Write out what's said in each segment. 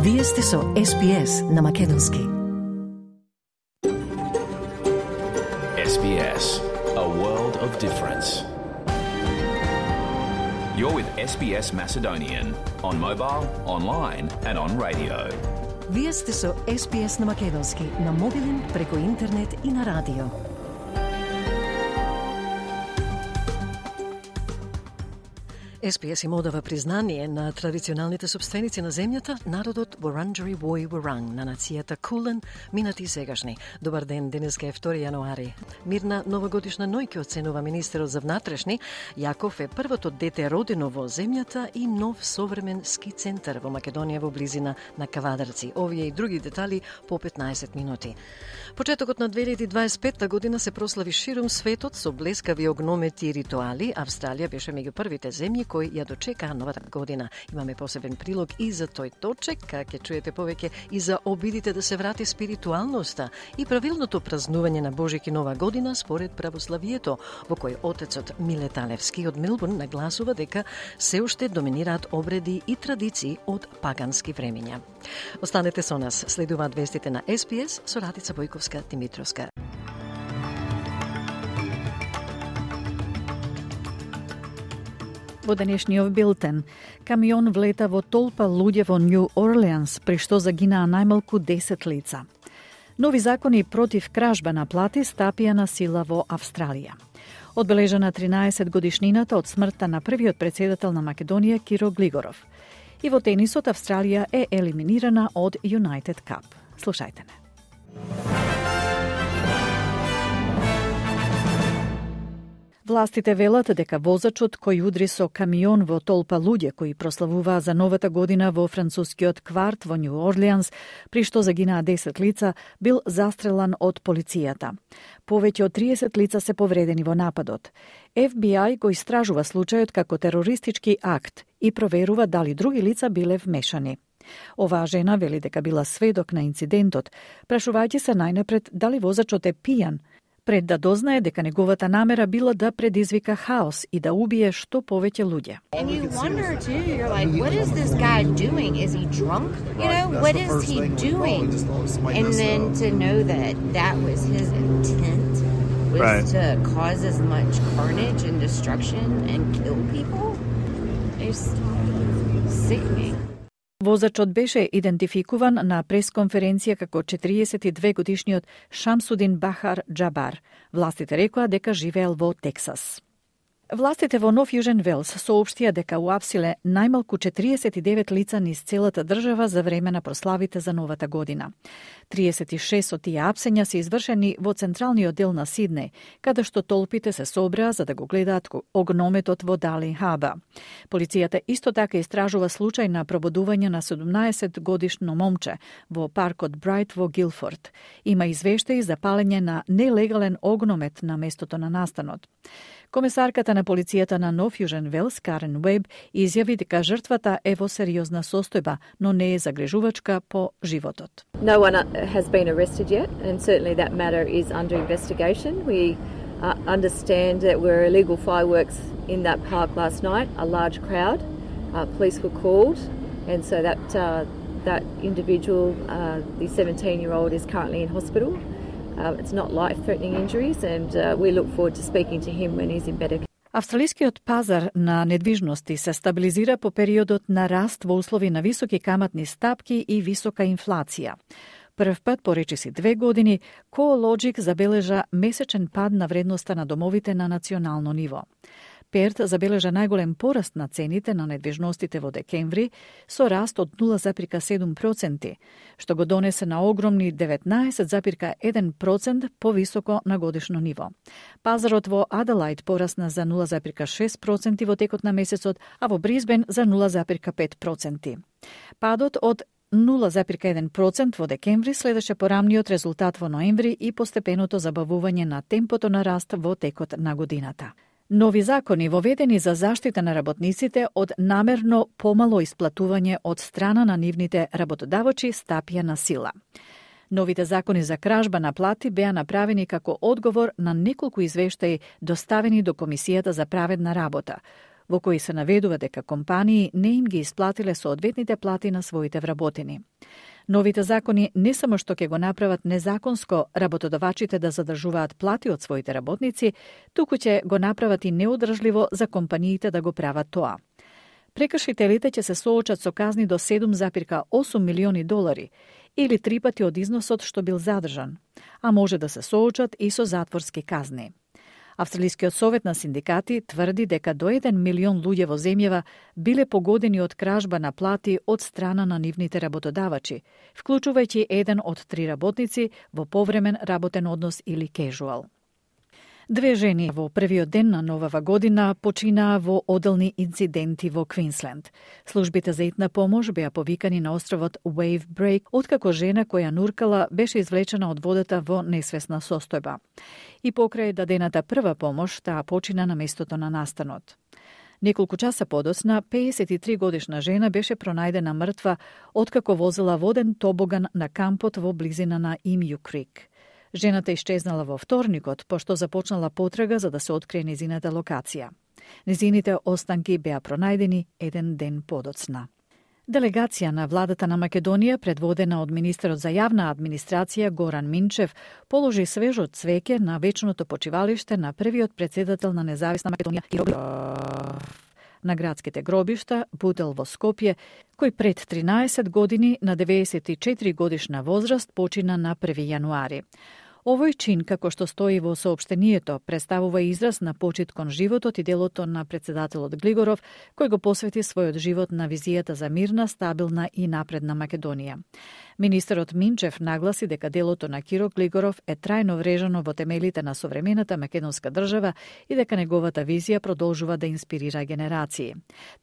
Вие сте со SBS на Македонски. SBS, a world of difference. You're with SBS Macedonian on mobile, online and on radio. Вие сте со SBS на Македонски, на мобилен, преку интернет и на радио. SBS им одава признание на традиционалните собственици на земјата, народот Wurundjeri Woi Wurrung, на нацијата Кулен, минати и сегашни. Добар ден, денеска е 2 јануари. Мирна новогодишна ноќ ќе оценува министерот за внатрешни. Јаков е првото дете родено во земјата и нов современ ски центар во Македонија во близина на Кавадарци. Овие и други детали по 15 минути. Почетокот на 2025 година се прослави ширум светот со блескави огномети и ритуали. Австралија беше меѓу првите земји кои ја дочекаа новата година. Имаме посебен прилог и за тој точек, ќе чуете повеќе и за обидите да се врати спиритуалноста и правилното празнување на Божик и Нова година според православието, во кој отецот Миле Талевски од Мелбурн нагласува дека се уште доминираат обреди и традиции од пагански времења. Останете со нас, следуваат вестите на SBS со Радица Бојковска-Димитровска. Во денешниот билтен, камион влета во толпа луѓе во Нью Орлеанс, при што загинаа најмалку 10 лица. Нови закони против кражба на плати стапија на сила во Австралија. Одбележана 13 годишнината од смртта на првиот претседател на Македонија Киро Глигоров. И во тенисот Австралија е елиминирана од United Cup. Слушајте не. Властите велат дека возачот кој удри со камион во толпа луѓе кои прославуваа за новата година во францускиот кварт во Нью Орлеанс, при што загинаа 10 лица, бил застрелан од полицијата. Повеќе од 30 лица се повредени во нападот. FBI го истражува случајот како терористички акт и проверува дали други лица биле вмешани. Оваа жена вели дека била сведок на инцидентот, прашувајќи се најнапред дали возачот е пијан, пред да дознае дека неговата намера била да предизвика хаос и да убие што повеќе луѓе. And you wonder too, you're like, what is this guy doing? Is he drunk? You know, what is he doing? And then to know that that was his intent, was to cause as much carnage and destruction and kill people, is sickening. Возачот беше идентификуван на пресконференција како 42 годишниот Шамсудин Бахар Джабар. Властите рекоа дека живеел во Тексас. Властите во Нов Јужен Велс соопштија дека уапсиле најмалку 49 лица низ целата држава за време на прославите за новата година. 36 од тие апсења се извршени во централниот дел на Сиднеј, каде што толпите се собраа за да го гледаат огнометот во Дали Хаба. Полицијата исто така истражува случај на пробудување на 17 годишно момче во паркот Брайт во Гилфорд. Има извештаи за палење на нелегален огномет на местото на настанот. Комесарката на полицијата на Нов Јужен Велс, Карен Уеб, изјави дека жртвата е во сериозна состојба, но не е загрижувачка по животот. No one has been arrested yet, and certainly that matter is under investigation. We understand that there were illegal fireworks in that park last night, a large crowd. Police were called, and so that individual, the 17-year-old, is currently in hospital. It's not life-threatening injuries, and we look forward to speaking to him when he's in better. Австралискиот пазар на недвижности се стабилизира по периодот на раст во услови на високи каматни стапки и висока инфлација. Прв пат по речиси 2 години, CoreLogic забележа месечен пад на вредноста на домовите на национално ниво. Перт забележа најголем пораст на цените на недвижностите во декември со раст од 0,7%, што го донесе на огромни 19,1% повисоко на годишно ниво. Пазарот во Аделајд порасна за 0,6% во текот на месецот, а во Бризбен за 0,5%. Падот од 0,1% во декември следеше порамниот резултат во ноември и постепеното забавување на темпото на раст во текот на годината. Нови закони воведени за заштита на работниците од намерно помало исплатување од страна на нивните работодавачи стапија на сила. Новите закони за кражба на плати беа направени како одговор на неколку извештаи доставени до Комисијата за праведна работа, во кои се наведува дека компании не им ги исплатиле соодветните плати на своите вработени. Новите закони не само што ќе го направат незаконско работодавачите да задржуваат плати од своите работници, туку ќе го направат и неодржливо за компаниите да го прават тоа. Прекршителите ќе се соочат со казни до $7,8 милиони или 3 пати од износот што бил задржан, а може да се соочат и со затворски казни. Австралискиот совет на синдикати тврди дека до 1 милион луѓе во земјава биле погодени од кражба на плати од страна на нивните работодавачи, вклучувајќи еден од 3 работници во повремен работен однос или кежуал. 2 жени во првиот ден на новава година починаа во оделни инциденти во Квинсленд. Службите за итна помош беа повикани на островот Wave Break, откако жена која нуркала беше извлечена од водата во несвесна состојба. И покрај дадената прва помош, таа почина на местото на настанот. Неколку часа подоцна, 53 годишна жена беше пронајдена мртва откако возела воден тобоган на кампот во близина на Имју Крик. Жената исчезнала во вторникот, пошто започнала потрага за да се открие незината локација. Незините останки беа пронајдени еден ден подоцна. Делегација на владата на Македонија, предводена од министерот за јавна администрација Горан Минчев, положи свежо цвеќе на вечното почивалиште на првиот претседател на независна Македонија на градските гробишта Бутел во Скопје, кој пред 13 години на 94 годишна возраст почина на 1 јануари. Овој чин, како што стои во соопштението, представува израз на почит кон животот и делото на претседателот Глигоров, кој го посвети својот живот на визијата за мирна, стабилна и напредна Македонија. Министерот Минчев нагласи дека делото на Киро Глигоров е трајно врежано во темелите на современата македонска држава и дека неговата визија продолжува да инспирира генерации.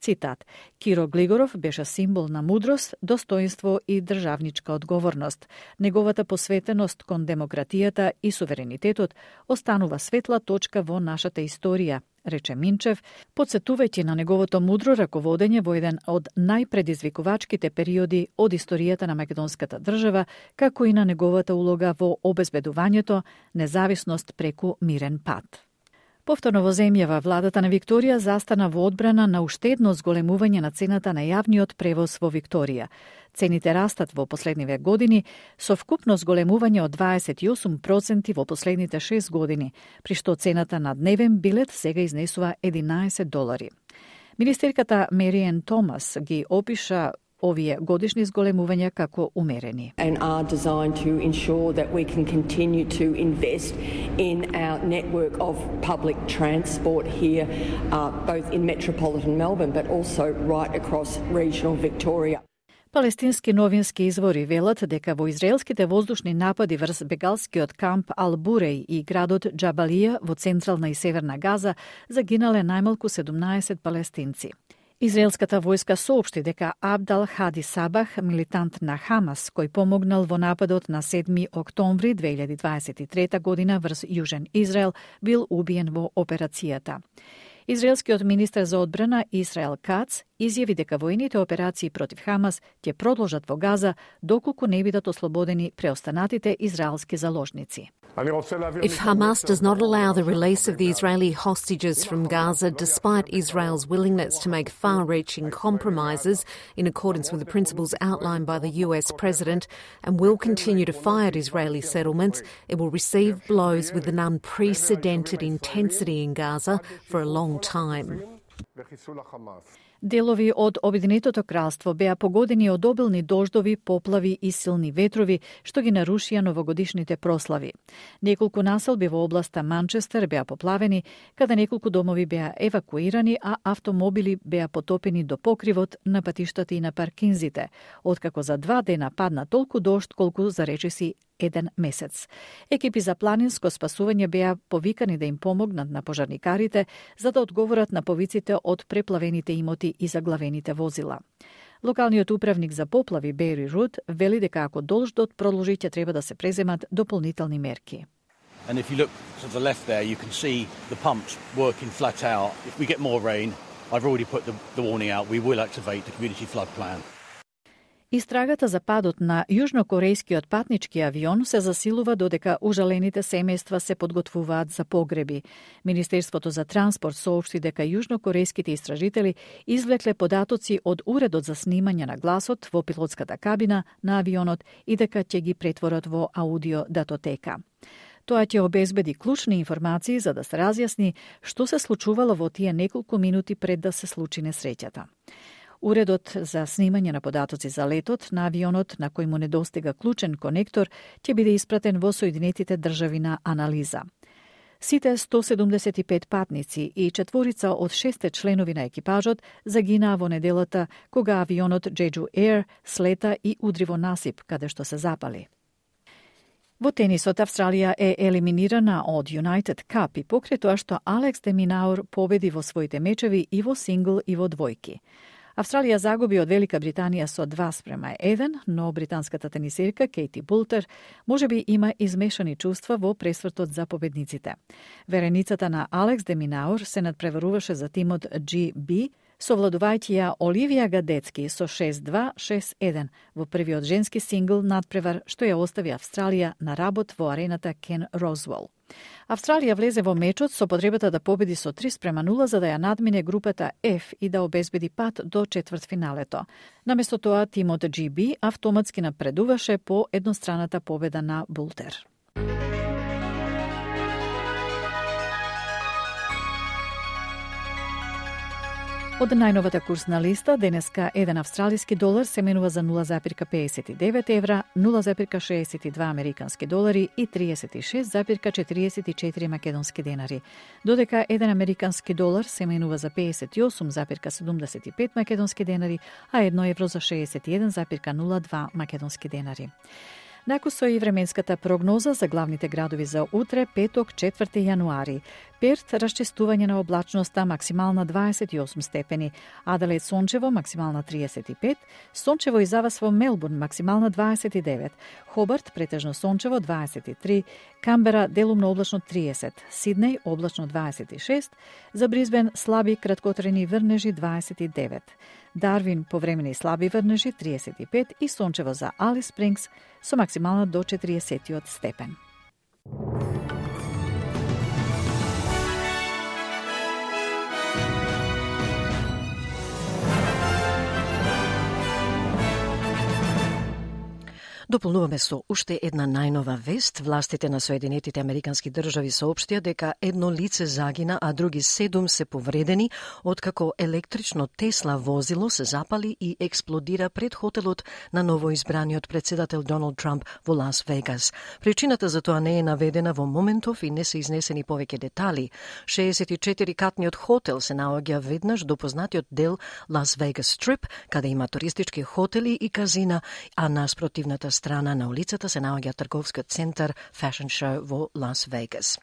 Цитат: Киро Глигоров беше символ на мудрост, достоинство и државничка одговорност. Неговата посветеност кон демократијата и суверенитетот останува светла точка во нашата историја, рече Минчев, подсетувајќи на неговото мудро раководење во еден од најпредизвикувачките периоди од историјата на македонската држава, како и на неговата улога во обезбедувањето независност преку мирен пат. Повторно во земјава, владата на Викторија застана во одбрана на уште едно зголемување на цената на јавниот превоз во Викторија. Цените растат во последниве години со вкупно зголемување од 28% во последните 6 години, при што цената на дневен билет сега изнесува $11. Министерката Мериен Томас ги опиша овие годишни зголемувања како умерени. And are designed to ensure that we can continue to invest in our network of public transport here, both in metropolitan Melbourne, but also right across regional Victoria. Палестински новински извори велат дека во израелските воздушни напади врз бегалскиот камп Ал-Буреј и градот Џабалија во централна и северна Газа загинале најмалку 17 палестинци. Израелската војска соопшти дека Абдал Хади Сабах, милитант на Хамас, кој помогнал во нападот на 7 октомври 2023 година врз Јужен Израел, бил убиен во операцијата. Израелскиот министер за одбрана Исраел Кац изјави дека војните операции против Хамас ќе продолжат во Газа доколку не бидат ослободени преостанатите израелски заложници. If Hamas does not allow the release of the Israeli hostages from Gaza, despite Israel's willingness to make far-reaching compromises in accordance with the principles outlined by the US President, and will continue to fire at Israeli settlements, it will receive blows with an unprecedented intensity in Gaza for a long time. Делови од Обединетото кралство беа погодени од обилни дождови, поплави и силни ветрови, што ги нарушија новогодишните прослави. Неколку населби во областа Манчестер беа поплавени, каде неколку домови беа евакуирани, а автомобили беа потопени до покривот на патиштата и на паркинзите, откако за 2 дена падна толку дожд колку за речиси 1 месец. Екипи за планинско спасување беа повикани да им помогнат на пожарникарите за да одговорат на повиците од преплавените имоти и заглавените возила. Локалниот управник за поплави Бери Руд вели дека ако дождот продолжи ќе треба да се преземат дополнителни мерки. And if you look to the left there, you can see the pumps working flat out. If we get more rain, I've already put the warning out, we will activate the community flood plan. Истрагата за падот на јужнокорејскиот патнички авион се засилува додека ужалените семејства се подготвуваат за погреби. Министерството за транспорт соопшти дека јужнокорејските истражители извлекле податоци од уредот за снимање на гласот во пилотската кабина на авионот и дека ќе ги претворат во аудио датотека. Тоа ќе обезбеди клучни информации за да се разјасни што се случувало во тие неколку минути пред да се случи несреќата. Уредот за снимање на податоци за летот на авионот на кој му недостига клучен конектор ќе биде испратен во Соединетите држави на анализа. Сите 175 патници и 4 од 6 членови на екипажот загинаа во неделата кога авионот Jeju Air слета и удри во насип каде што се запали. Во тенисот Австралија е елиминирана од United Cup и покрај тоа што Алекс де Минаур победи во своите мечеви и во сингл и во двојки. Австралија загуби од Велика Британија со 2:1, но британската тенисерка Кейти Бултер можеби има измешани чувства во пресвртот за победниците. Вереницата на Алекс де Минаур се надпреваруваше за тимот GB, совладувајќи ја Оливија Гадецки со 6-2, 6-1 во првиот женски сингл надпревар што ја остави Австралија на работ во арената Кен Розвел. Австралија влезе во мечот со потребата да победи со 3:0 за да ја надмине групата F и да обезбеди пат до четвртфиналето. Наместо тоа, тимот GB автоматски напредуваше по едностраната победа на Бултер. Од најновата курсна листа, денеска 1 австралиски долар се менува за 0,59 евра, 0,62 американски долари и 36,44 македонски денари, додека 1 американски долар се менува за 58,75 македонски денари, а 1 евро за 61,02 македонски денари. Накусо и временската прогноза за главните градови за утре, петок, 4 јануари. Перт, расчистување на облачноста, максимална 28 степени. Аделаид сончево, максимална 35. Сончево и завас во Мелбурн, максимална 29. Хобарт, претежно сончево, 23. Камбера, делумно облачно 30. Сиднеј, облачно 26. За Бризбен, слаби краткотрени врнежи 29. Дарвин, повремени слаби врнежи 35 и сончево за Алис Спрингс со максимална до 40 степен. Дополнуваме со уште една најнова вест. Властите на Соединетите Американски држави соопштија дека едно лице загина, а други 7 се повредени, откако електрично Тесла возило се запали и експлодира пред хотелот на новоизбраниот председател Доналд Трамп во Лас Вегас. Причината за тоа не е наведена во моментов и не се изнесени повеќе детали. 64-катниот хотел се наоѓа веднаш до познатиот дел Лас Вегас Стрип, каде има туристички хотели и казина, а наспротивната страна на улицата се наоѓа трговскиот центар Fashion Show во Лас Вегас.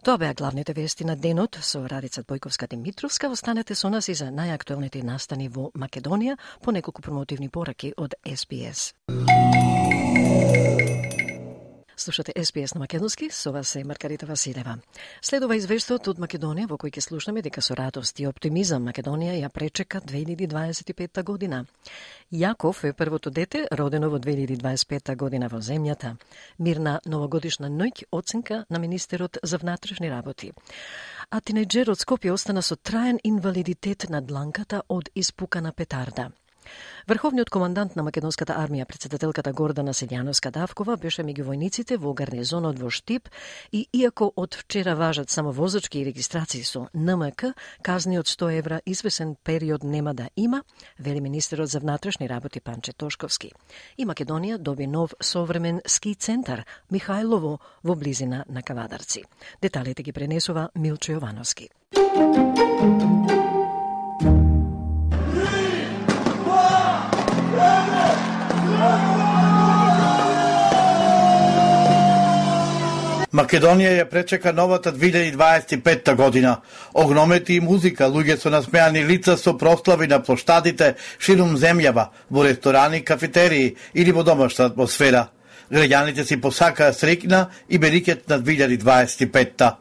Тоа беа главните вести на денот со Радица Бојковска-Димитровска. Останете со нас и за најактуелните настани во Македонија по неколку промотивни пораки од SBS. Слушате SBS на македонски, со вас е Маргарита Василева. Следува извештаот од Македонија во кој ќе слушнеме дека со радост и оптимизам Македонија ја пречека 2025 година. Јаков е првото дете родено во 2025 година во земјата. Мирна новогодишна ноќ, оценка на министерот за внатрешни работи. А тинејџерот Скопје остана со траен инвалидитет на дланката од испукана петарда. Врховниот командант на македонската армија, председателката Гордана Селјановска-Давкова, беше меѓу војниците во гарнизонот во Штип и иако од вчера важат само возачки и регистрации со НМК, казни од 100 евра извесен период нема да има, вели министерот за внатрешни работи Панче Тошковски. И Македонија доби нов современ ски центар Михајлово во близина на Кавадарци. Деталите ги пренесува Милчо Јовановски. Македонија ја пречека новата 2025 година. Огномети и музика, луѓе со насмеани лица со прослави на плоштадите ширум земјава, во ресторани, кафетерии или во домашна атмосфера. Граѓаните си посакаа среќна и берикет на 2025-та.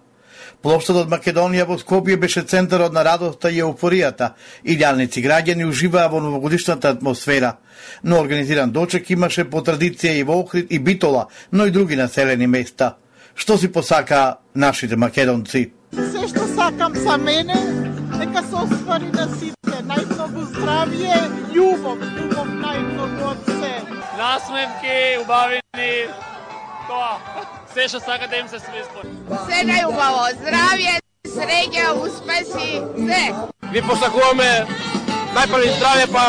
Плоштадот Македонија во Скопје беше центарот на радоста и еуфоријата. Илјадници граѓани уживаа во новогодишната атмосфера. Но организиран дочек имаше по традиција и во Охрид и Битола, но и други населени места. Што си посакаа нашите македонци? Се што сакам за мене, нека се оствари на сите. Најмногу здравје, љубов најмногу од се. Насмевки, убавини, тоа. Се што сака да им се свиспори. Се најубаво, здравје, среќа, успеси, се. Ви посакуваме најпрви здравје, па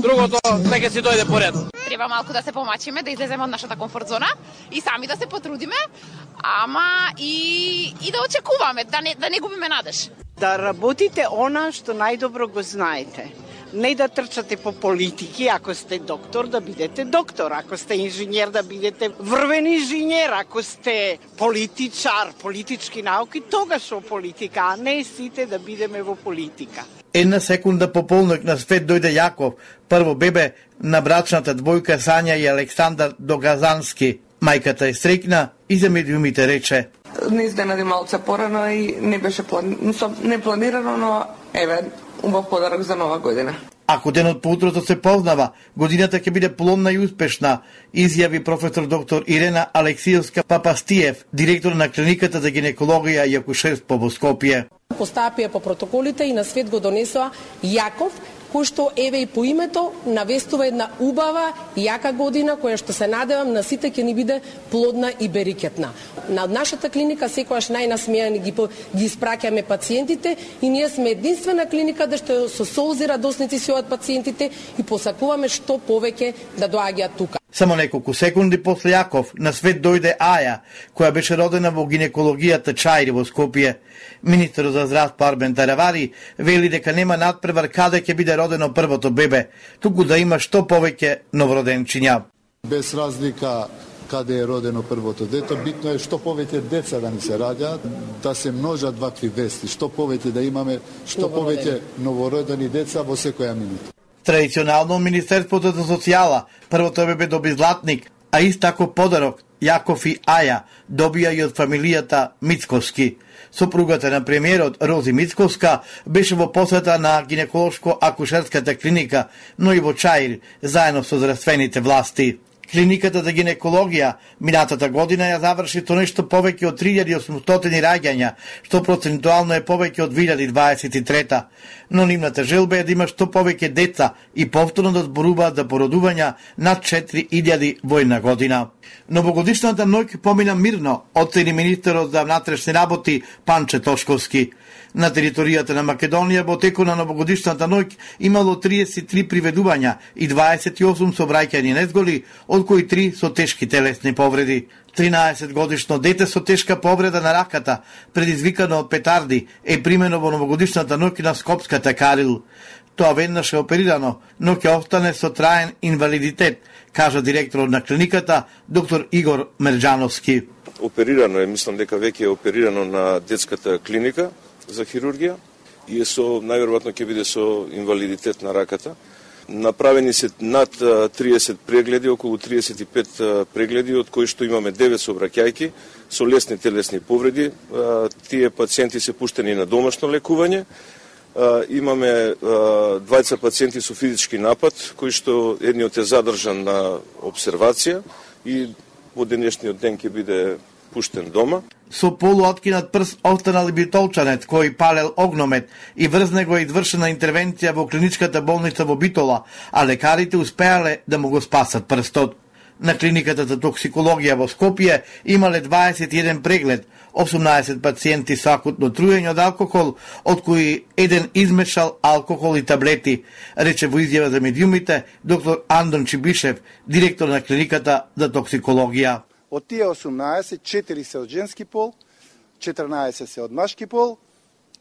другото нека си дојде поред. Треба малку да се помачиме, да излеземе од нашата комфорт зона и сами да се потрудиме, ама и да очекуваме, да не губиме надеж. Да работите она што најдобро го знаете. Не да трчате по политики, ако сте доктор, да бидете доктор, ако сте инженер, да бидете врвен инженер, ако сте политичар, политички науки, тогаш во политика, а не сите да бидеме во политика. Една секунда по полнок на свет дојде Јаков, прво бебе на брачната двојка Сања и Александар Догазански. Мајката е среќна и за медиумите рече: Не изненади малце порано и не беше непланирано, но еве, убав подарок за нова година. Ако денот по утрото се познава, годината ќе биде плодна и успешна, изјави професор доктор Ирена Алексиевска Папастиев, директор на клиниката за гинекологија и акушерство во Скопје. Постапија по протоколите и на свет го донесоа Јаков, кој што еве и по името навестува една убава и јака година која што се надевам на сите ќе ни биде плодна и берикетна. На нашата клиника секогаш најнасмејани ги испраќаме пациентите и ние сме единствена клиника да што со солзи радосници си од пациентите и посакуваме што повеќе да доаѓаат тука. Само неколку секунди после Јаков на свет дојде Аја, која беше родена во гинекологијата Чајри во Скопје. Министерот за здравство Арбен Таравари вели дека нема надпревар каде ќе биде родено првото бебе, туку да има што повеќе новороденчиња. Без разлика каде е родено првото дете, битно е што повеќе деца да ни се раѓаат, да се множат вакви вести, што повеќе да имаме, што повеќе новородени деца во секоја минута. Традиционално Министерството за социјала првото бебе доби златник, а ист тако подарок Јаков и Аја добија и од фамилијата Мицковски. Сопругата на премиерот Рози Мицковска беше во посета на гинеколошко-акушерската клиника, но и во Чаир, заедно со здравствените власти. Клиниката за гинекологија минатата година ја заврши со нешто повеќе од 3800 раѓања, што процентуално е повеќе од 2023. Но нивната желба е да има што повеќе деца и повторно да зборуваат за породувања над 4000 во една година. Новогодишната ноќ помина мирно, оцени министерот за внатрешни работи Панче Тошковски. На територијата на Македонија во текот на новогодишната ноќ имало 33 приведувања и 28 сообраќајни незголи, од кои 3 со тешки телесни повреди. 13 годишно дете со тешка повреда на раката, предизвикано од петарди, е примено во новогодишната ноќ на Скопската Карил. Тоа веднаш е оперирано, но ќе остане со траен инвалидитет, кажа директорот на клиниката, доктор Игор Мерџановски. Оперирано е, мислам дека веќе е оперирано на детската клиника за хирургија и најверојатно ќе биде со инвалидитет на раката. Направени се над 30 прегледи, околу 35 прегледи, од кои што имаме 9 сообраќајки со лесни телесни повреди. Тие пациенти се пуштени на домашно лекување. Имаме 20 пациенти со физички напад, кои што едниот е задржан на обсервација и во денешниот ден ќе биде пуштен дома. Со полуоткинат прст останал и битолчанец кој палел огномет и врз него е извршена интервенција во клиничката болница во Битола, а лекарите успеале да му го спасат прстот. На клиниката за токсикологија во Скопје имале 21 преглед, 18 пациенти со акутно труење од алкохол, од кои еден измешал алкохол и таблети, рече во изјава за медиумите доктор Андон Чибишев, директор на клиниката за токсикологија. Од тие 18, 4 се од женски пол, 14 се од машки пол.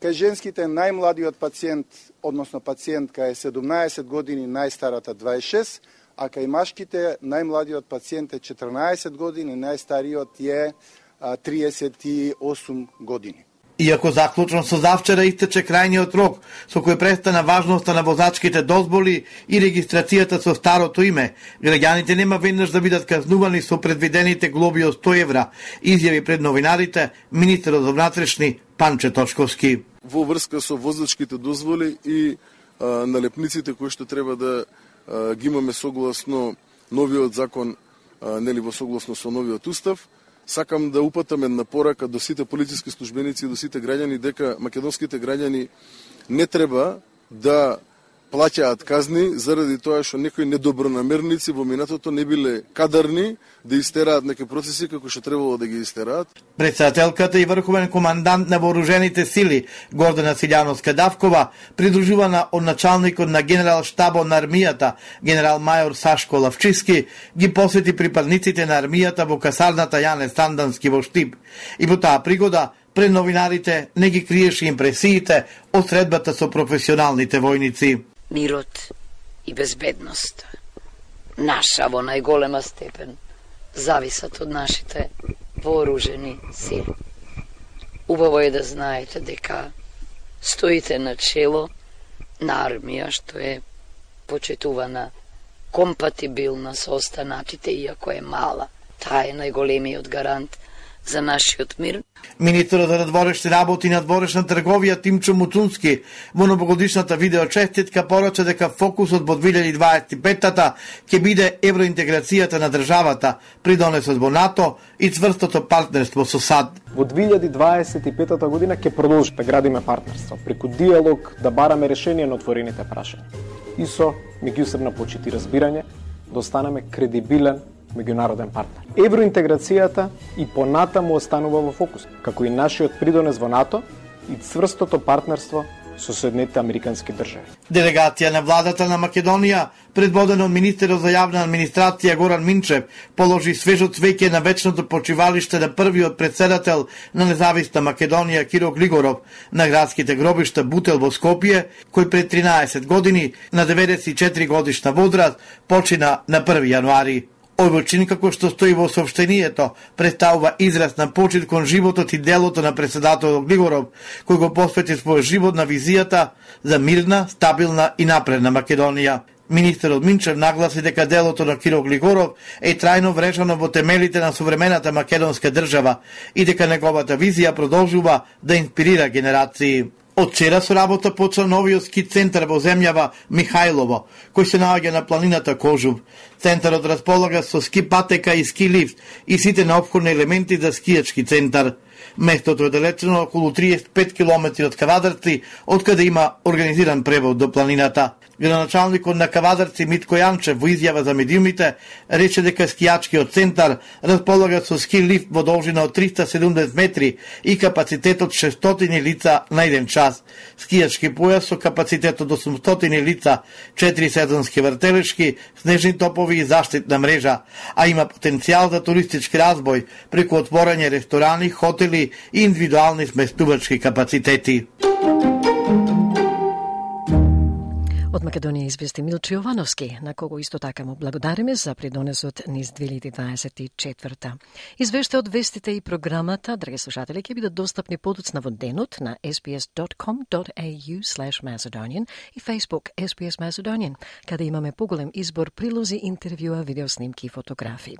Кај женските најмладиот пациент, односно пациентка е 17 години, најстарата 26, а кај машките најмладиот пациент е 14 години, најстариот е 38 години. Иако заклучно со завчера истече крајниот рок со кој престана важноста на возачките дозволи и регистрацијата со старото име, граѓаните нема веднаш да бидат казнувани со предвидените глоби од 100 евра, изјави пред новинарите министерот за внатрешни Панче Точковски. Во врска со возачките дозволи и налепниците кои што треба да ги имаме согласно новиот закон, нели во согласно со новиот устав, сакам да упатам една порака до сите полициски службеници и до сите граѓани дека македонските граѓани не треба да плаќаат казни заради тоа што некои недобронамерници во минатото не биле кадарни да истераат некои процеси како што требало да ги истераат. Председателката и врховен командант на вооружените сили Гордана Силјановска-Давкова, придружувана од началникот на генерал штабот на армијата, генерал мајор Сашко Лавчиски, ги посети припадниците на армијата во касарната Јане Сандански во Штип. И по таа пригода пред новинарите не ги криеше импресиите од средбата со професионалните војници. Мирот и безбедноста наша во најголема степен зависат од нашите вооружени сили. Убаво е да знаете дека стоите на чело на армија што е почитувана, компатибилна со останатите, иако е мала. Таа е најголемиот гарант за нашиот мир. Министерот за надворешни работи и надворешна трговија Тимчо Муцунски во новогодишната видеочеститка порача дека фокусот во 2025-та ќе биде евроинтеграцијата на државата, придонесот во НАТО и цврстото партнерство со САД. Во 2025 година ќе продолжи да градиме партнерство, преку диалог да бараме решение на отворените прашања. И со меѓусебна почит и разбирање да останеме кредибилен меѓународен партнер. Евроинтеграцијата и понатаму останува во фокус, како и нашиот придонес во НАТО и цврстото партнерство со Соединетите Американски држави. Делегација на владата на Македонија, предводена од министерот за јавна администрација Горан Минчев, положи свежо цвеќе на вечното почивалиште на првиот председател на независна Македонија Киро Глигоров на градските гробишта Бутел во Скопје, кој пред 13 години на 94 годишна возраст почина на 1 јануари. Овој чин, како што стои во соопштението, представува израз на почит кон животот и делото на председателот Глигоров, кој го посвети својот живот на визијата за мирна, стабилна и напредна Македонија. Министерот Минчев нагласи дека делото на Киро Глигоров е трајно врежано во темелите на современата македонска држава и дека неговата визија продолжува да инспирира генерации. Од вчера со работа почна новиот ски центар во земјава Михајлово, кој се наоѓа на планината Кожув. Центарот располага со ски патека и ски лифт и сите неопходни елементи за скијачки центар. Местото е далечено околу 35 км од Кавадарци, од каде има организиран превод до планината. Градоначалникот на Кавадарци Митко Јанчев во изјава за медиумите рече дека скијачкиот центар располага со ски лифт во должина од 370 метри и капацитет од 600 лица на еден час. Скијачки појас со капацитет од 800 лица, 4 сезонски вртелешки, снежни топови и заштитна мрежа, а има потенцијал за туристички разбој преку отворање ресторани, хотели и индивидуални сместувачки капацитети. Од Македонија извести Милчо Јовановски, на кого исто така му благодариме за придонесот низ 2024. Извештај од вестите и програмата, драги слушатели, ќе бидат достапни подоцна во денот на sbs.com.au/Macedonian и Facebook SBS Macedonian, каде имаме поголем избор прилози, интервјуа, видеоснимки и фотографии.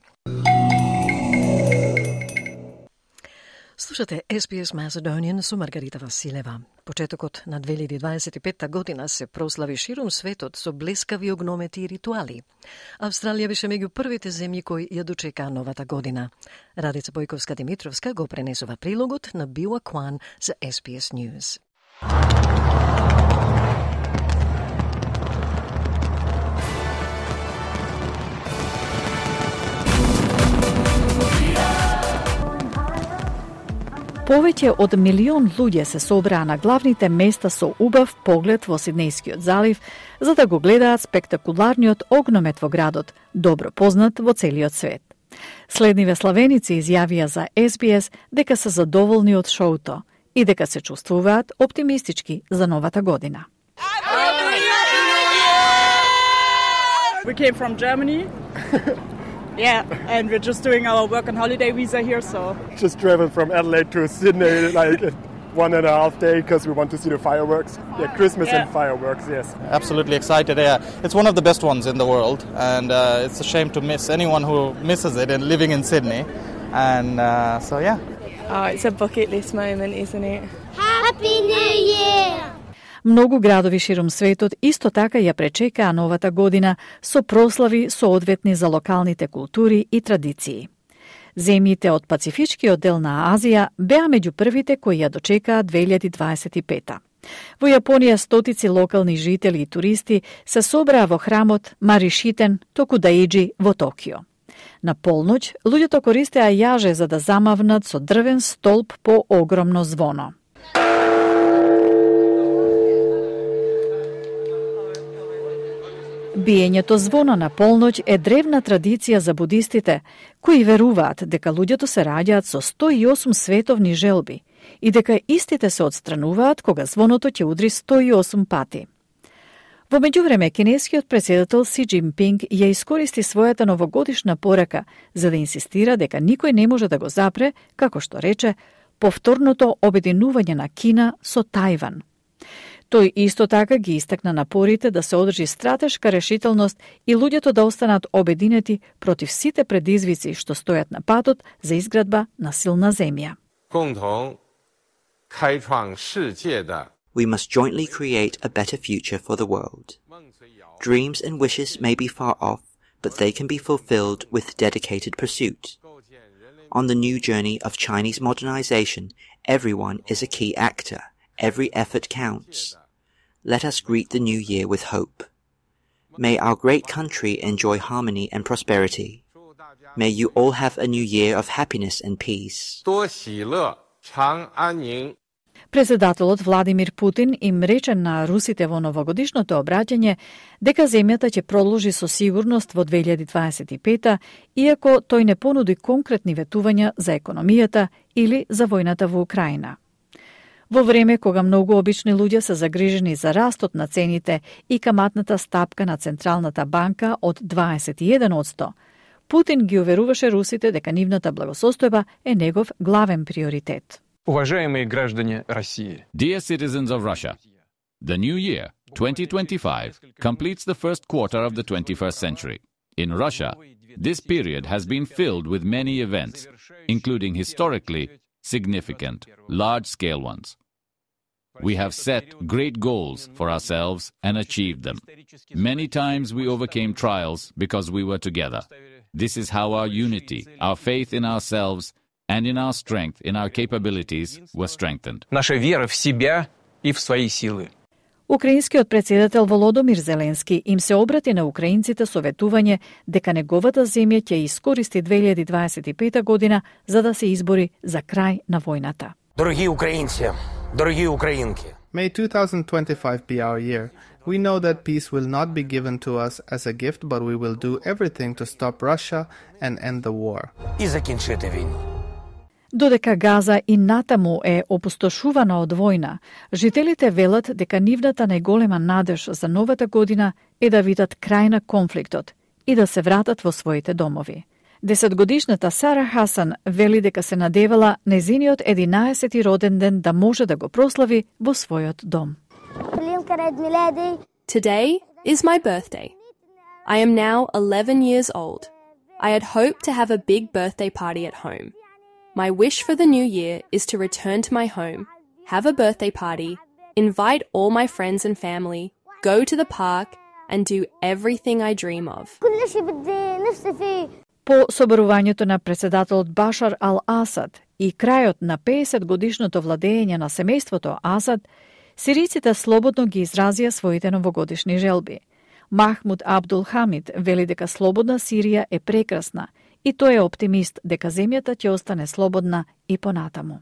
Слушате SBS Macedonian со Маргарита Василева. Почетокот на 2025 година се прослави ширум светот со блескави огномети и ритуали. Австралија беше меѓу првите земји кои ја дочека новата година. Радица Бојковска-Димитровска го пренесува прилогот на Биуа Кван за SBS News. Повеќе од 1 милион луѓе се собраа на главните места со убав поглед во Сиднејскиот залив, за да го гледаат спектакуларниот огномет во градот, добро познат во целиот свет. Следниве славеници изјавија за SBS дека се задоволни од шоуто и дека се чувствуваат оптимистички за новата година. We came from Germany. Yeah, and we're just doing our work and holiday visa here, so. Just driving from Adelaide to Sydney, like, 1.5 days because we want to see the fireworks. Yeah, Christmas and fireworks, yes. Absolutely excited. Yeah, it's one of the best ones in the world, and it's a shame to miss anyone who misses it and living in Sydney. And so, yeah. Oh, it's a bucket list moment, isn't it? Happy New Year! Многу градови ширум светот исто така ја пречекаа новата година со прослави соодветни за локалните култури и традиции. Земјите од Пацифичкиот дел на Азија беа меѓу првите кои ја дочекаа 2025. Во Јапонија стотици локални жители и туристи се собраа во храмот Маришитен Токудаиџи во Токио. На полноќ, луѓето користеа јаже за да замавнат со дрвен столб по огромно звоно. Биењето звона на полноќ е древна традиција за будистите, кои веруваат дека луѓето се раѓаат со 108 световни желби и дека истите се отстрануваат кога звоното ќе удри 108 пати. Во меѓувреме, кинескиот претседател Си Џинпинг ја искористи својата новогодишна порака за да инсистира дека никој не може да го запре, како што рече, повторното обединување на Кина со Тајван. Тој исто така ги истакна напорите да се одржи стратешка решителност и луѓето да останат обединети против сите предизвици што стојат на патот за изградба на силна земја. We must jointly create a better future for the world. Dreams and wishes may be far off, but they can be fulfilled with dedicated pursuit. On the new journey of Chinese modernization, everyone is a key actor. Every effort counts. Let us greet the new year with hope. May our great country enjoy harmony and prosperity. May you all have a new year of happiness and peace. Председателот Владимир Путин им рече на русите во новогодишното обраќање дека земјата ќе продолжи со сигурност во 2025, иако тој не понуди конкретни ветувања за економијата или за војната во Украина. Во време кога многу обични луѓе се загрижени за растот на цените и каматната стапка на Централната банка од 21%, Путин ги уверуваше русите дека нивната благосостојба е негов главен приоритет. Уважаемые граждане России. Dear citizens of Russia, the new year, 2025, completes the first quarter of the 21st century. In Russia, this period has been filled with many events, including historically significant, large-scale ones. We have set great goals for ourselves and achieved them. Many times we overcame trials because we were together. This is how our unity, our faith in ourselves, and in our strength, in our capabilities, were strengthened. Наша вера в себя и в свои силы. Украинскиот претседател Володомир Зеленски им се обрати на украинците со ветување дека неговата земја ќе искористи 2025 година за да се избори за крај на војната. Дороги украинци, дороги украинки. May 2025 be our year. We know that peace will not be given to us as a gift, but we will do everything to stop Russia and end the war. И закінчити війну. Додека Газа и натаму е опустошувана од војна, жителите велат дека нивната најголема надеж за новата година е да видат крај на конфликтот и да се вратат во своите домови. 10-годишната Сара Хасан вели дека се надевала незиниот 11-ти роден ден да може да го прослави во својот дом. Today is my birthday. I am now 11 years old. I had hoped to have a big birthday party at home. My wish for the new year is to return to my home, have a birthday party, invite all my friends and family, go to the park, and do everything I dream of. По соборувањето на претседателот Башар ал-Асад и крајот на 50-годишното владење на семејството Асад, сириците слободно ги изразија своите новогодишни желби. Махмуд Абдул Хамид вели дека слободна Сирија е прекрасна и тој е оптимист дека земјата ќе остане слободна и понатаму.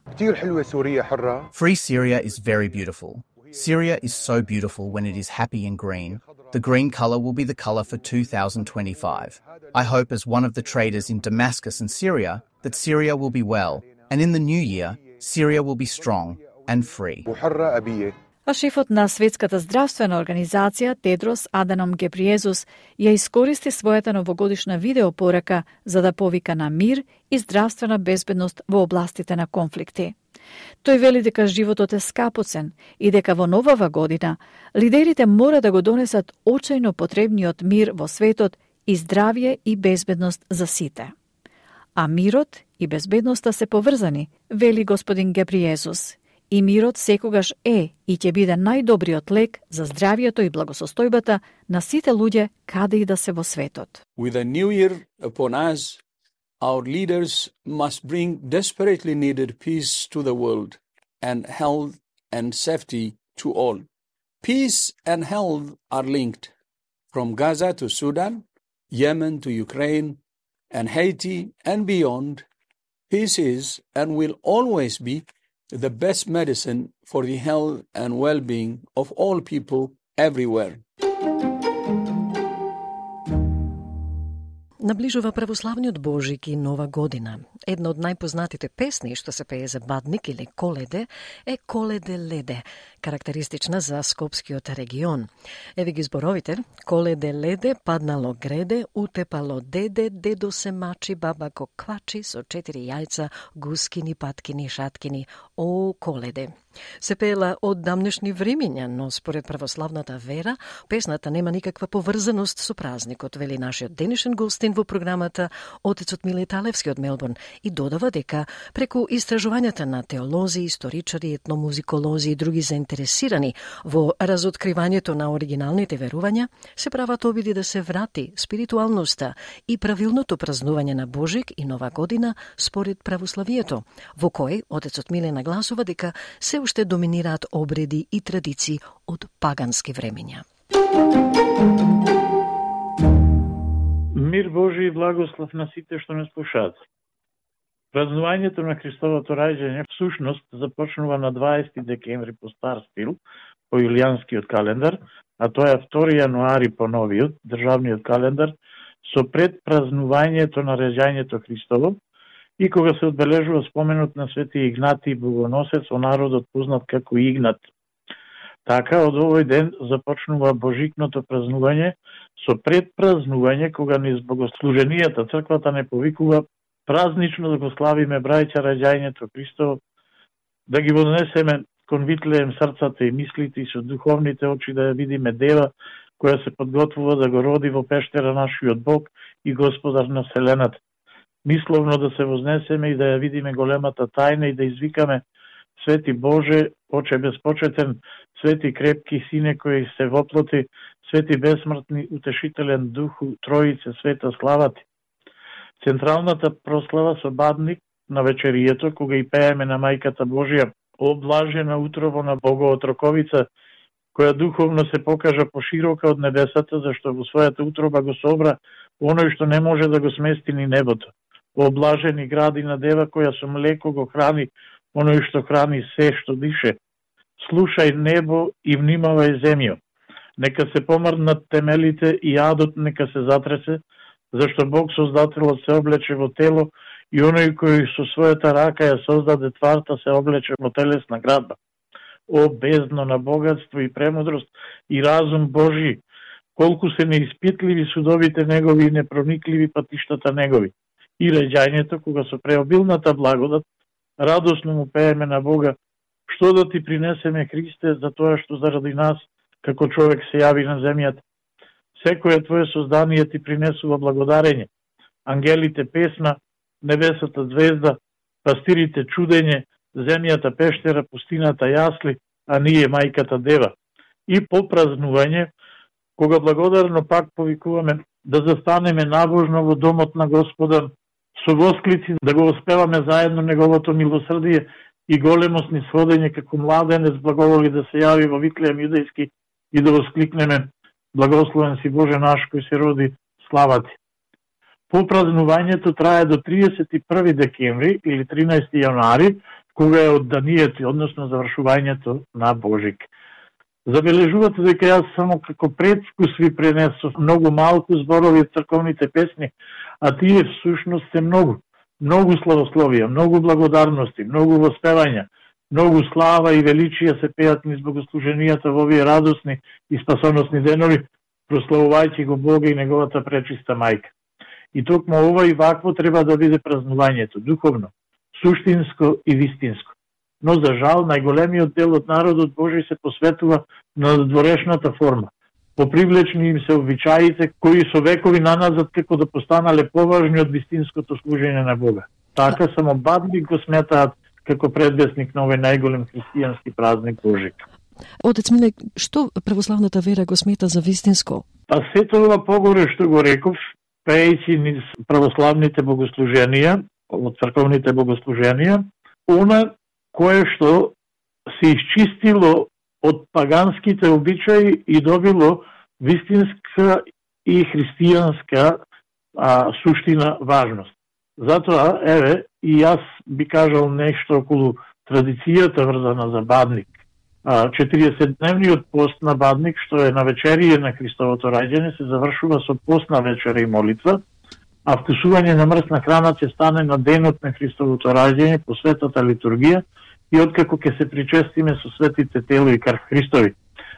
Free Syria is very beautiful. Syria is so beautiful when it is happy and green. The green colour will be the colour for 2025. I hope as one of the traders in Damascus and Syria that Syria will be well, and in the new year, Syria will be strong and free. А шефот на Светската здравствена организација Тедрос Аданом Гебриезус ја искористи својата новогодишна видеопорака за да повика на мир и здравствена безбедност во областите на конфликти. Тој вели дека животот е скапоцен и дека во новава година лидерите мора да го донесат очајно потребниот мир во светот и здравје и безбедност за сите. А мирот и безбедноста се поврзани, вели господин Гебриезус. И мирот секогаш е и ќе биде најдобриот лек за здравјето и благосостојбата на сите луѓе каде и да се во светот. With a new year upon us, our leaders must bring desperately needed peace to the world and health and safety to all. Peace and health are linked. From Gaza to Sudan, Yemen to Ukraine, and Haiti and beyond, peace is and will always be the best medicine for the health and well-being of all people everywhere. Наближува православниот Божик и Нова година. Една од најпознатите песни што се пее за Бадник или Коледе е Коледе леде, карактеристична за Скопскиот регион. Еве ги зборовите: Коледе леде, паднало греде, утепало деде, дедо се мачи, баба ко квачи, со 4 јајца, гускини, паткини, шаткини. О, Коледе! Се пеела од дамнешни времиња, но според православната вера, песната нема никаква поврзаност со празникот, вели нашиот денешен гостин во програмата, отецот Миле Талевски од Мелбурн, и додава дека преку истражувањата на теолози, историчари, етномузиколози и други заинтересирани во разоткривањето на оригиналните верувања, се прават обиди да се врати спиритуалноста и правилното празнување на Божик и Нова година според православието, во кој отецот Миле нагласува дека се уште доминираат обреди и традиции од пагански времења. Мир Божи и благослов на сите што не слушаат. Празнувањето на Христовото раѓање всушност започнува на 20 декември по стар стил, по јулијанскиот календар, а тоа е 2 јануари по новиот, државниот календар, со предпразнувањето на раѓањето Христово и кога се одбележува споменот на Свети Игнатий Богоносец, во народот познат како Игнат. Така, од овој ден започнува божикното празнување со предпразнување, кога низ богослуженијата црквата не повикува празнично да го славиме брајќа раѓањето Христово, да ги вознесеме кон Витлеем срцата и мислите и со духовните очи да ја видиме дева која се подготвува да го роди во пештера нашиот Бог и Господар на вселената. Мисловно да се вознесеме и да ја видиме големата тајна и да извикаме: Свети Боже, Оче безпочетен, Свети крепки Сине кој се воплоти, Свети бесмртни, утешителен Духу, Троице, света слава Ти. Централната прослава со Бадник на вечерието, кога и пееме на Мајката Божија, облажена утрово на Богоотроковица, која духовно се покажа поширока од небесата, зашто во својата утроба го собра оној што не може да го смести ни небото. Облажени гради на дева која со млеко го храни оној што храни се што дише. Слушај небо и внимавај земјо. Нека се помрднат темелите и адот нека се затресе, зашто Бог Создателот се облече во тело и оној кој со својата рака ја создаде тварта се облече во телесна градба. О бездно на богатство и премудрост и разум Божи, колку се неиспитливи судовите негови и непроникливи патиштата негови. И раѓањето, кога со преобилната благодат, радосно му пееме на Бога: што да ти принесеме, Христе, за тоа што заради нас, како човек се јави на земјата. Секоја твое создание ти принесува благодарење. Ангелите песна, небесата звезда, пастирите чудење, земјата пештера, пустината јасли, а ние мајката дева. И по празнување, кога благодарно пак повикуваме да застанеме набожно во домот на Господа, со восклици да го оспеваме заедно неговото милосрдие и големост низ ходење како младенец благоволи да се јави во Витлеем јудејски и да воскликнеме: Благословен си Боже наш кој се роди, слава Ти. Попразнувањето трае до 31 декември или 13 јануари, кога е одданието, односно завршувањето на Божик. Забележувате дека јас само како предвкус ви пренесов многу малку зборови од црковните песни, а тие всушност се многу. Многу славословија, многу благодарности, многу воспевања, многу слава и величија се пеат низ богослуженијата во овие радосни и спасоносни денови, прославувајќи го Бога и неговата пречиста мајка. И токму ова и вакво треба да биде празнувањето, духовно, суштинско и вистинско. но за жал најголемиот дел од народот Божи се посветува на дворешната форма. Попривлечни им се обичаите кои со векови наназад како да постанале поважни од вистинското служење на Бога. Така само Бадник го сметаат како предвесник на овој најголем христијански празник Божик. Отец Миле, што православната вера го смета за вистинско? А сето ова погоре што го реков, пејќи низ православните богослуженија, од црковните богослуженија, она кое што се исчистило од паганските обичаи и добило вистинска и христијанска суштина важност. Затоа, еве, и јас би кажал нешто околу традицијата врзана за Бадник. 40-дневниот пост на Бадник, што е на вечерие на Христовото раѓање, се завршува со постна вечера и молитва, а вкусување на мрсна храна ќе стане на денот на Христовото раѓање по светата литургија и откако ќе се причестиме со светите тело и крв Христови.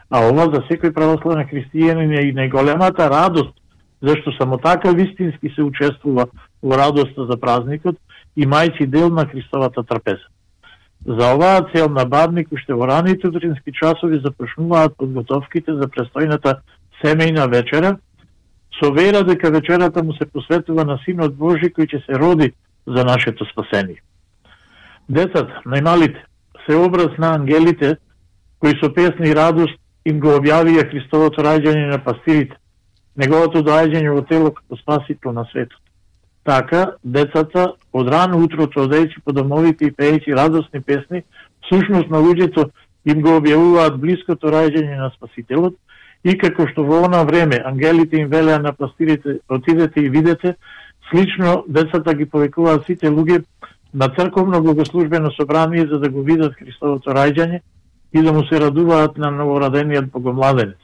А ова за секој православен христијанин е и најголемата радост, зашто само така вистински се учествува во радоста за празникот, имајќи дел на Христовата трпеза. За оваа цел на Бадник уште во раните утрински часови започнуваат подготовките за престојната семејна вечера, со вера дека вечерата му се посветува на Синот Божи кој ќе се роди за нашето спасение. Децата, најмалите, се образ на ангелите кои со песни и радост им го објавија Христовото раѓање на пастирите, неговото доаѓање во тело како спасител на светот. Така, децата од рано утрото одејќи по домовите и пеејќи радосни песни, всушност на луѓето им го објавуваат блиското раѓање на Спасителот и како што во она време ангелите им велеа на пастирите отидете и видете, слично децата ги повикуваат сите луѓе на црковно богослужбено собрание за да го видат Христовото раѓање и да му се радуваат на новородениот богомладенец.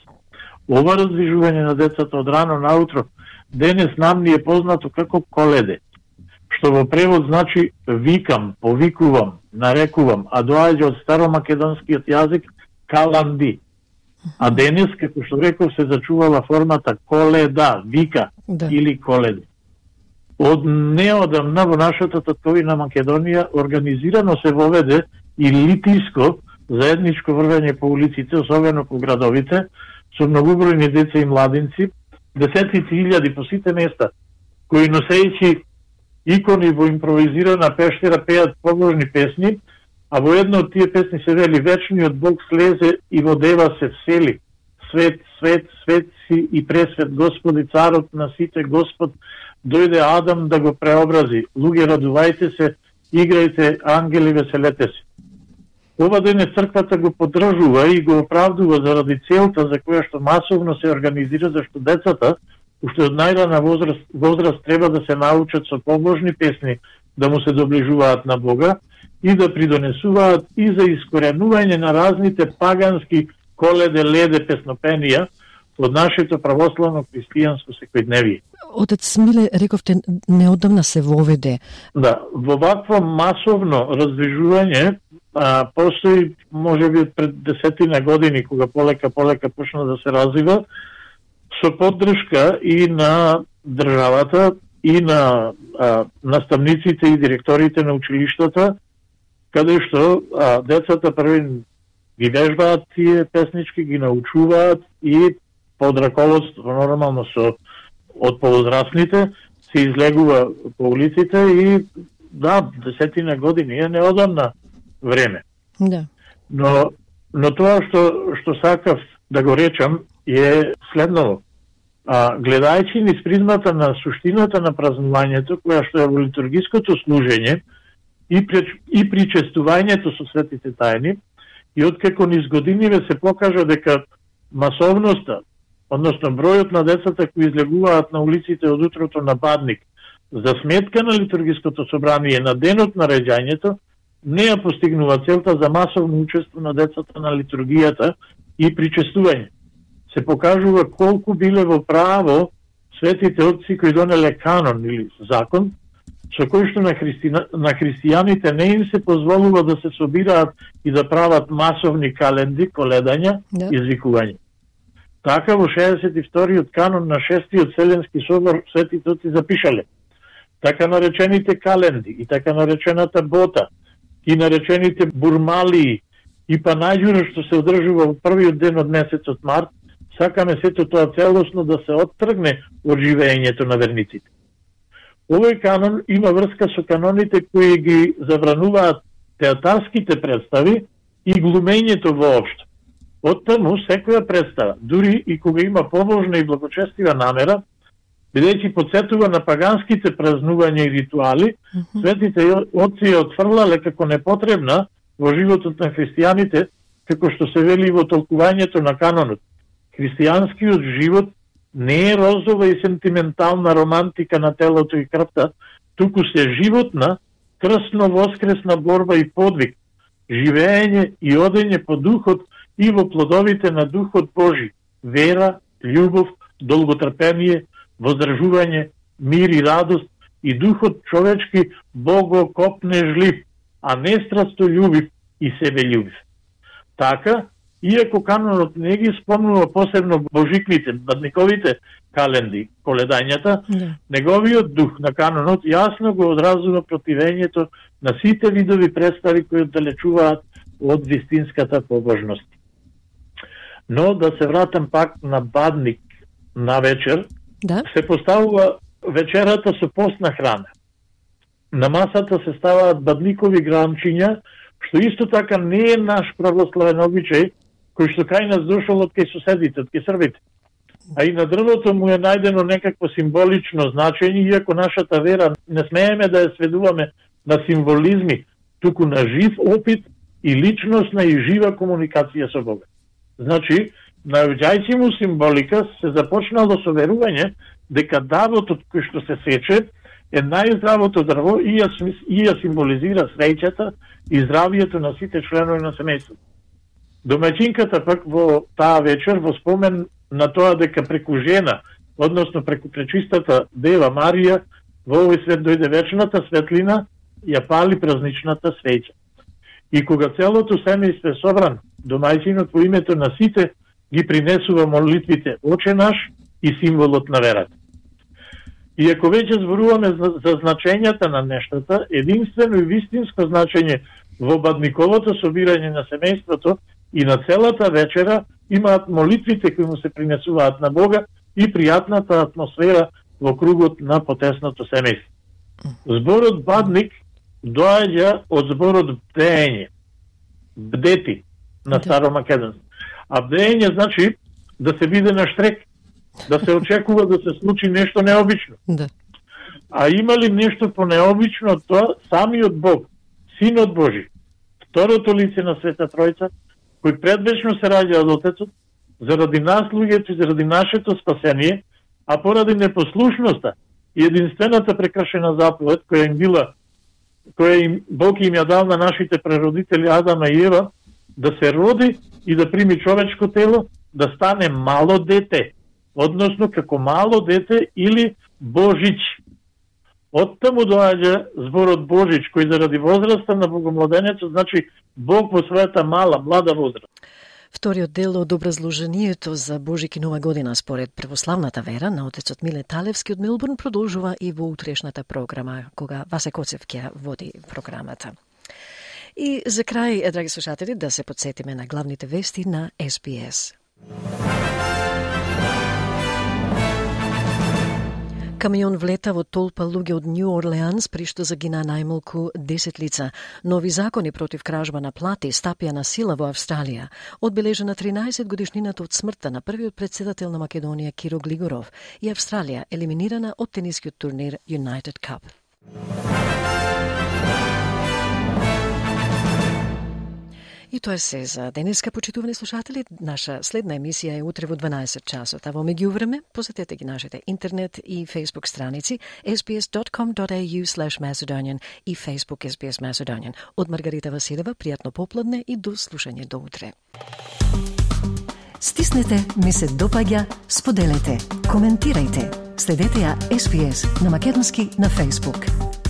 Ова раздвижување на децата од рано наутро денес нам ни е познато како коледе, што во превод значи викам, повикувам, нарекувам, а доаѓа од старомакедонскиот јазик каланди. А денес, како што реков, се зачувала формата коледа, вика или коледе. Од неодамна во нашата татковина Македонија организирано се воведе и литиско заедничко врвење по улиците, особено по градовите, со многобројни деца и младинци, десетици илјади по сите места, кои носејќи икони во импровизирана пештера пеат побожни песни, а во една од тие песни се вели вечниот Бог слезе и во дева се всели. Свет, свет, свет си и пресвет Господи, царот на сите Господ, дојде Адам да го преобрази. Луѓе, радувајте се, играјте, ангели, веселете се. Ова денес црквата го поддржува и го оправдува заради целта за која што масовно се организира, зашто децата уште од најрана возраст треба да се научат со побожни песни да му се доближуваат на Бога и да придонесуваат и за искоренување на разните пагански коледе, леде, песнопенија од нашето православно христијанско секојдневие. Отец Миле, рековте, неодамна се воведе. Да, во вакво масовно раздвижување постои, може би, пред 10 години, кога полека почна да се развива, со поддршка и на државата, и на наставниците и директорите на училиштата, каде што децата први ги вежбаат тие песнички, ги научуваат и под раководство, нормално од повозрастните, се излегува по улиците и да, 10 години е неодамна време. Да. Но тоа што сакав да го речам е следното. Гледајќи низ призмата на суштината на празнувањето, која што е во литургиското служење и причестувањето со светите тајни, и откако низ годиниве се покажа дека масовноста, односно бројот на децата кои излегуваат на улиците од утрото на Бадник, за сметка на литургиското собрание на денот на раѓањето, не ја постигнува целта за масовно учество на децата на литургијата и причестување. Се покажува колку биле во право светите отци кои донеле канон или закон, со кој што на христијаните не им се позволува да се собираат и да прават масовни календи, коледања, извикување. Така во 62-иот канон на 6-тиот Вселенски собор светите отци запишале така наречените календи и така наречената бота и наречените бурмалии и па најдуро што се одржува во првиот ден од месецот март, сакаме сето тоа целосно да се оттргне од живеењето на верниците. Овој канон има врска со каноните кои ги забрануваат театарските представи и глумењето воопшто. Оттаму секоја представа, дури и кога има побожна и благочестива намера, бидејќи потсетува на паганските празнувања и ритуали, светите отци ја отфрлале како непотребна во животот на христијаните, како што се вели во толкувањето на канонот. Христијанскиот живот не е розова и сентиментална романтика на телото и крвта, туку се животна, крсно-воскресна борба и подвиг, живеење и одење по духот и во плодовите на Духот Божи, вера, љубов, долготрпение, воздржување, мир и радост и духот човечки богокопнежлив, а не страстољубив и себељубив. Така, иако канонот не ги спомнува посебно божиквите, бадниковите календи, коледањата, неговиот дух на канонот јасно го одразува противењето на сите видови представи кои оддалечуваат од вистинската побожност. Но да се вратам пак на бадник на вечер, се поставува вечерата со постна храна. На масата се ставаат бадникови гранчиња, што исто така не е наш православен обичај, кој што кај нас дошол од кај соседите, од кај србите. А и на дрвото му е најдено некакво символично значење, иако нашата вера не смееме да ја сведуваме на символизми, туку на жив опит и личностна и жива комуникација со Бога. Значи, наоѓајќи му символика, се започнало со верување дека давотот кој што се сече е најздравото дрво и ја символизира среќата и здравието на сите членови на семејството. Домаќинката пак во таа вечер во спомен на тоа дека преку жена, односно преку пречистата Дева Марија, во овој свет дојде вечната светлина, ја пали празничната свеќа. И кога целото семејство е собрано, домаќинот во името на сите ги принесува молитвите Оче наш и символот на верата. И ако веќе зборуваме за значењата на нештата, единствено и вистинско значење во бадниковото собирање на семејството и на целата вечера имаат молитвите кои му се принесуваат на Бога и пријатната атмосфера во кругот на потесното семејство. Зборот бадник доаѓа од зборот бдење, бдети на старомакедонски. А бдење значи да се биде на штрек, да се очекува да се случи нешто необично. А има ли нешто понеобично од тоа? Самиот Бог, Синот Божи, второто лице на Света Тројца, кој предвечно се раѓа од Отецот, заради нас луѓето и заради нашето спасение, а поради непослушноста и единствената прекршена заповед која Бог им ја дал на нашите прародители Адама и Ева, да се роди и да прими човечко тело, да стане мало дете, односно како мало дете или Божич. Оттаму доаѓа зборот Божич, кој заради возраста на богомладенецот значи Бог во својата млада возраст. Вториот дел од образложението за Божики нова година според православната вера на отецот Миле Талевски од Мелбурн продолжува и во утрешната програма, кога Васе Коцев ќе води програмата. И за крај, драги слушатели, да се подсетиме на главните вести на SBS. Камион влета во толпа луѓе од Нью Орлеанс, при што загина најмалку 10 лица. Нови закони против кражба на плати стапија на сила во Австралија. Одбележена 13 годишнината од смртта на првиот председател на Македонија Киро Глигоров и Австралија елиминирана од тенискиот турнир United Cup. И тоа се за денеска, почитувани слушатели. Наша следна емисија е утре во 12 часот, а во меѓувреме посетете ги нашите интернет и Facebook страници sbs.com.au/Macedonian и Facebook SBS Macedonian. Од Маргарита Василева, пријатно попладне и до слушање до утре. Стиснете, ми се допаѓа, споделете, коментирајте. Следете ја SBS на македонски на Facebook.